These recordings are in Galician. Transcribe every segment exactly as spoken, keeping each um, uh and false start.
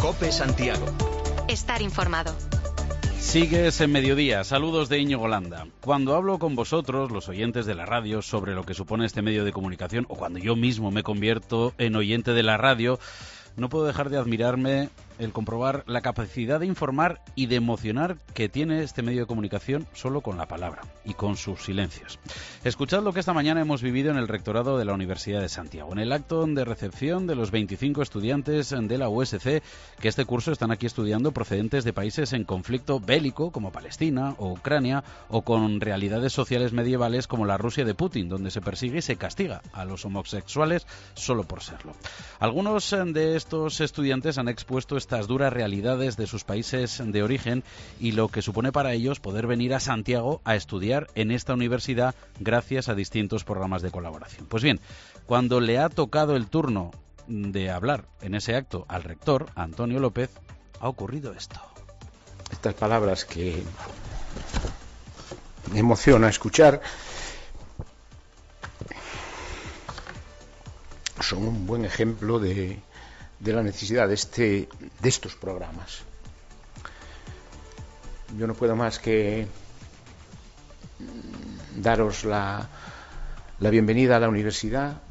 COPE Santiago. Estar informado. Sigues en Mediodía. Saludos de Íñigo Landa. Cuando hablo con vosotros, los oyentes de la radio, sobre lo que supone este medio de comunicación, o cuando yo mismo me convierto en oyente de la radio, no puedo dejar de admirarme el comprobar la capacidad de informar y de emocionar que tiene este medio de comunicación solo con la palabra y con sus silencios. Escuchad lo que esta mañana hemos vivido en el rectorado de la Universidad de Santiago, en el acto de recepción de los veinticinco estudiantes de la U S C que este curso están aquí estudiando, procedentes de países en conflicto bélico como Palestina o Ucrania, o con realidades sociales medievales como la Rusia de Putin, donde se persigue y se castiga a los homosexuales solo por serlo. Algunos de estos estudiantes han expuesto estas duras realidades de sus países de origen y lo que supone para ellos poder venir a Santiago a estudiar en esta universidad gracias a distintos programas de colaboración. Pues bien, cuando le ha tocado el turno de hablar en ese acto al rector, Antonio López, ha ocurrido esto. Estas palabras que me emociona escuchar son un buen ejemplo de de la necesidad de, este, de estos programas. Yo no puedo más que daros la, la bienvenida a la universidad,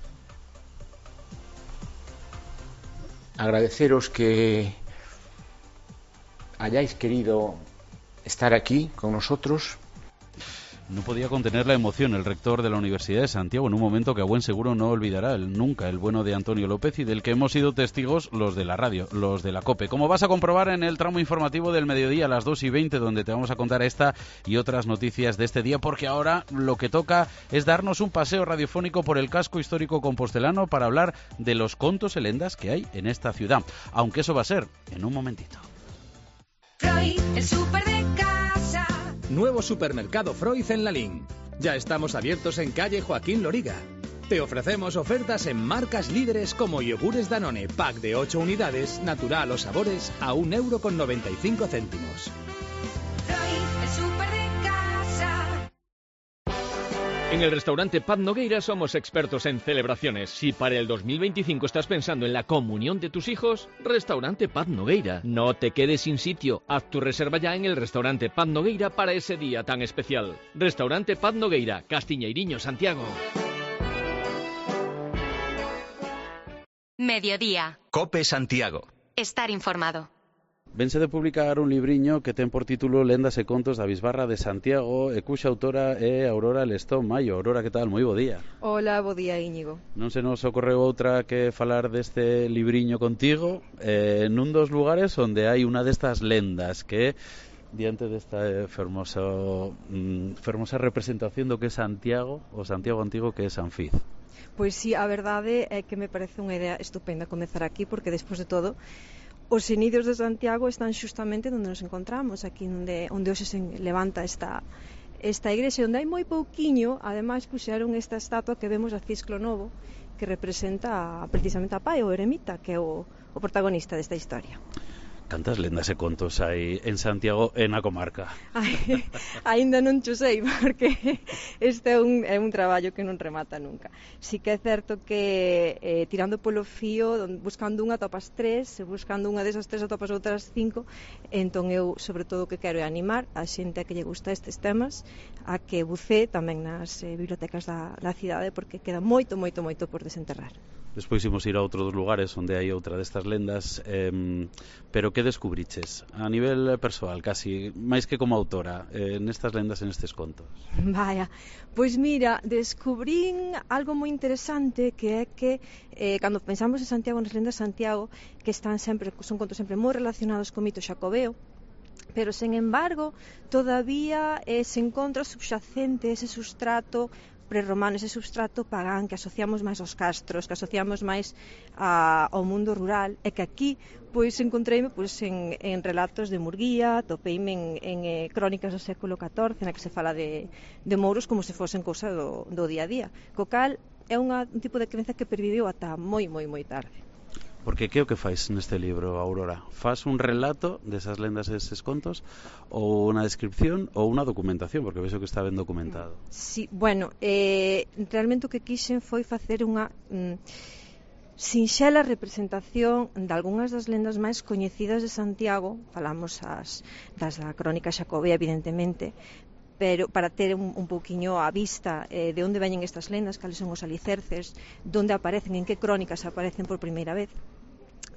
agradeceros que hayáis querido estar aquí con nosotros. No podía contener la emoción el rector de la Universidad de Santiago en un momento que a buen seguro no olvidará el, nunca el bueno de Antonio López y del que hemos sido testigos los de la radio, los de la COPE. Como vas a comprobar en el tramo informativo del mediodía a las dos y veinte, donde te vamos a contar esta y otras noticias de este día, porque ahora lo que toca es darnos un paseo radiofónico por el casco histórico compostelano para hablar de los contos e lendas que hay en esta ciudad, aunque eso va a ser en un momentito. Freud, el súper de casa. Nuevo supermercado Freud en Lalín. Ya estamos abiertos en calle Joaquín Loriga. Te ofrecemos ofertas en marcas líderes como yogures Danone, pack de ocho unidades, natural o sabores, a un euro con noventa y cinco céntimos. Freud, el súper de casa. En el restaurante Paz Nogueira somos expertos en celebraciones. Si para el dos mil veinticinco estás pensando en la comunión de tus hijos, restaurante Paz Nogueira. No te quedes sin sitio. Haz tu reserva ya en el restaurante Paz Nogueira para ese día tan especial. Restaurante Paz Nogueira, Castiñeiriño, Santiago. Mediodía. COPE Santiago. Estar informado. Vense de publicar un libriño que ten por título Lendas e contos da Bisbarra de Santiago e cuxa autora é Aurora Lestón Maio. Aurora, que tal? Moi bo día. Hola, bo día, Íñigo. Non se nos ocorreu outra que falar deste libriño contigo eh, nun dos lugares onde hai unha destas lendas que diante desta eh, fermoso, mm, fermosa representación do que é Santiago, o Santiago antigo que é San Fiz. Pois sí, a verdade é que me parece unha idea estupenda comezar aquí, porque despois de todo os inicios de Santiago están xustamente onde nos encontramos, aquí onde, onde hoxe se levanta esta, esta igrexa, onde hai moi pouquiño, ademais puxeron esta estatua que vemos a Cisclo Novo, que representa precisamente a Pai, o eremita, que é o, o protagonista desta historia. Cantas lendas e contos hai en Santiago e na comarca? Ai, ainda non cho sei, porque este é un, é un traballo que non remata nunca. Si que é certo que eh, tirando polo fío, buscando unha topas tres, buscando unha desas tres atopas outras cinco, entón eu sobre todo o que quero é animar a xente a que lle gusta estes temas a que bucee tamén nas eh, bibliotecas da, da cidade, porque queda moito, moito, moito por desenterrar. Despois imos ir a outros lugares onde hai outra destas lendas, eh, pero que descubriches a nivel persoal, casi máis que como autora, eh, nestas lendas, en estes contos? Vaya, pois mira, descubrín algo moi interesante, que é que eh, cando pensamos en Santiago, nas lendas de Santiago, que están sempre, son contos sempre moi relacionados co mito xacobeo, pero, sen embargo, todavía eh, se encontra subxacente ese substrato prerromano, ese substrato pagán que asociamos máis aos castros, que asociamos máis a, ao mundo rural, e que aquí pois encontreime pois, en, en relatos de Murguía, topeime en, en eh, crónicas do século catorce, na que se fala de, de mouros como se fosen cousa do, do día a día. Co cal é unha, un tipo de crenza que perviveu ata moi, moi, moi tarde. Porque que é o que fais neste libro, Aurora? Fas un relato desas lendas e deses contos, ou unha descripción ou unha documentación, porque vexo que está ben documentado? Sí, bueno, eh, realmente o que quixen foi facer unha... Mm, sinxela representación de algunhas das lendas máis coñecidas de Santiago. Falamos as, das da crónica xacobea, evidentemente, pero para ter un, un pouquiño a vista eh, de onde veñen estas lendas, cales son os alicerces, onde aparecen, en que crónicas aparecen por primeira vez,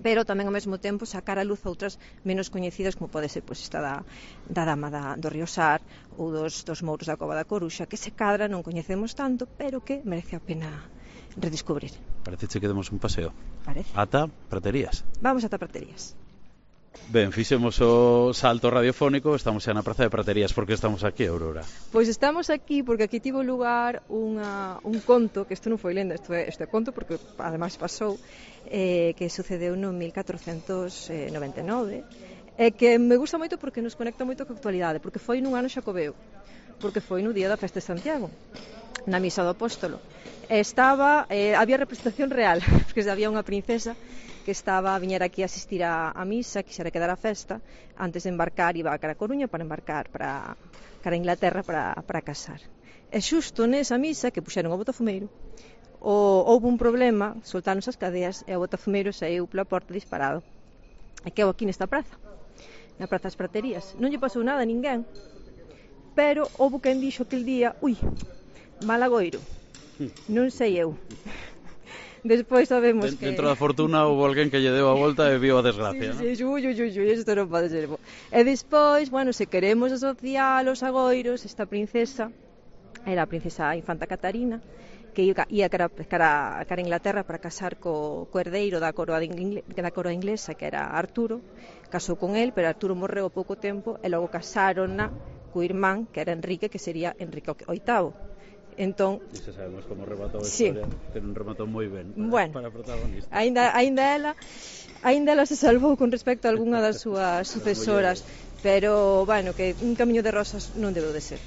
pero tamén ao mesmo tempo sacar a luz outras menos coñecidas, como pode ser pois, esta da, da dama da, do Río Sar ou dos, dos mouros da Cova da Coruxa, que se cadra non coñecemos tanto, pero que merece a pena redescubrir. Parece que demos un paseo. Parece. Ata Praterías. Vamos ata Praterías. Ben, fixemos o salto radiofónico, estamos xa na Praza de Praterías. Por que estamos aquí, Aurora? Pois estamos aquí porque aquí tivo lugar unha, un conto, que isto non foi lenda, isto é, isto é conto porque ademais pasou, eh, que sucedeu no mil catrocentos noventa e nove, e que me gusta moito porque nos conecta moito coa actualidade, porque foi nun ano xacobeo, porque foi no día da festa de Santiago, na misa do apóstolo. Estaba, eh, había representación real, porque había unha princesa que estaba a viñer aquí a asistir a, a misa, quixera quedar a festa, antes de embarcar, iba a cara a Coruña para embarcar para, para Inglaterra para, para casar. E xusto nesa misa que puxeron o botafumeiro, o, houve un problema, soltaron as cadeas e o botafumeiro saiu pola porta disparado. E quedou aquí nesta praza, na Praza das Praterías. Non lle pasou nada a ninguén, pero houve quen dixo aquel día, ui, malagoiro, non sei eu. Despois sabemos Den, que... Dentro da fortuna houve alguén que lle deu a volta e viu a desgracia, sí, sí, ¿no? ui, ui, ui, ui, isto non pode ser bo. E despois, bueno, se queremos asociar os agoiros, esta princesa era a princesa Infanta Catarina, que ia, ia cara, cara, cara a Inglaterra para casar co, co herdeiro da coroa, de ingle, da coroa inglesa, que era Arturo. Casou con el, pero Arturo morreu ao pouco tempo, e logo casaron co irmán, que era Enrique, que sería Enrique oitavo. Entón, e se sabemos como rematou a sí. historia, que non rematou moi ben para, bueno, para protagonista. Ainda, ainda ela ainda ela se salvou con respecto a algunha das súas sucesoras, pero, bueno, que un camiño de rosas non debeu de ser.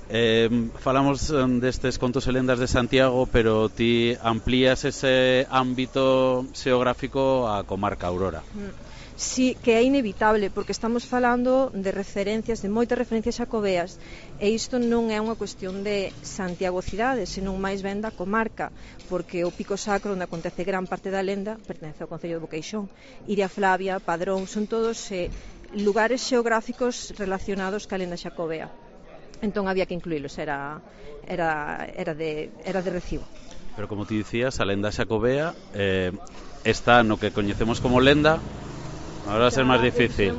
Eh, falamos um, destes contos e lendas de Santiago, pero ti amplías ese ámbito xeográfico á comarca Aurora. Mm. Sí, que é inevitable, porque estamos falando de referencias, de moitas referencias xacobeas, e isto non é unha cuestión de Santiago cidade, senón máis ben da comarca, porque o Pico Sacro, onde acontece gran parte da lenda, pertence ao concello de Boqueixón. Iria Flavia, Padrón, son todos eh, lugares xeográficos relacionados ca lenda xacobea. Entón había que incluílos, era, era, era, de, era de recibo. Pero como ti dicías, a lenda xacobea eh, está no que coñecemos como lenda. Ahora va a ser máis difícil.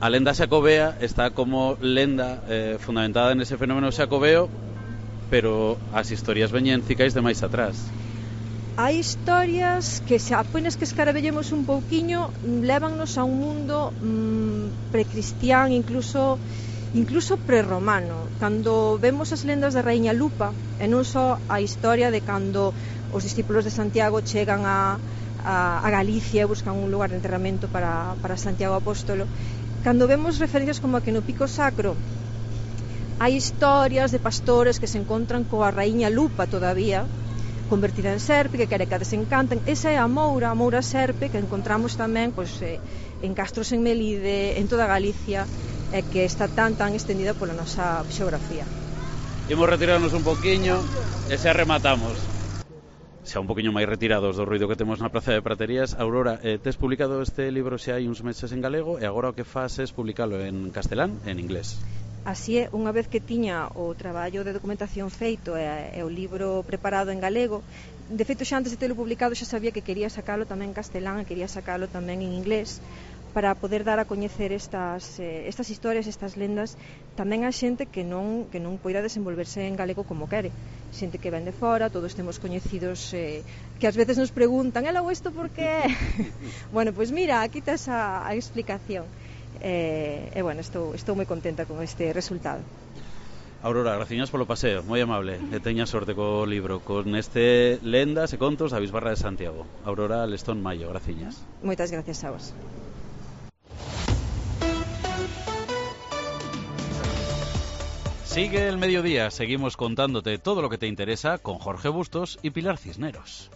A lenda xacobea está como lenda eh, fundamentada en ese fenómeno xacobeo, pero as historias veñen cicais de máis atrás. Hai historias que se apenas que escarabellemos un pouquiño lévannos a un mundo mmm, precristián, incluso incluso prerromano. Cando vemos as lendas da Raíña Lupa, e non só a historia de cando os discípulos de Santiago chegan a a Galicia, buscan un lugar de enterramento para, para Santiago Apóstolo. Cando vemos referencias como a que no Pico Sacro hai historias de pastores que se encontran coa raíña Lupa todavía, convertida en serpe, que quere que a desencanten. Esa é a moura, a moura serpe, que encontramos tamén pois, eh, en castros en Melide, en toda Galicia, e eh, que está tan tan extendida pola nosa xeografía. Imos retirarnos un poquinho e xa rematamos. Xa un poquinho máis retirados do ruido que temos na Praza de Praterías. Aurora, eh, tes publicado este libro xa hai uns meses en galego e agora o que fas é publicalo en castelán e en inglés. Así é, unha vez que tiña o traballo de documentación feito e, e o libro preparado en galego, de feito xa antes de telo publicado xa sabía que quería sacalo tamén en castelán e quería sacalo tamén en inglés, para poder dar a coñecer estas, eh, estas historias, estas lendas, tamén a xente que non, que non poida desenvolverse en galego como quere. Xente que ven de fora, todos temos coñecidos eh, que ás veces nos preguntan, ela ou isto por que? Bueno, pois pues mira, aquí tes a, a explicación. E, eh, eh, bueno, estou, estou moi contenta con este resultado. Aurora, graciñas polo paseo, moi amable, e teña sorte co libro, con este Lendas e Contos da Bisbarra de Santiago. Aurora Lestón Mayo, graciñas. Moitas gracias a vos. Sigue el mediodía, seguimos contándote todo lo que te interesa con Jorge Bustos y Pilar Cisneros.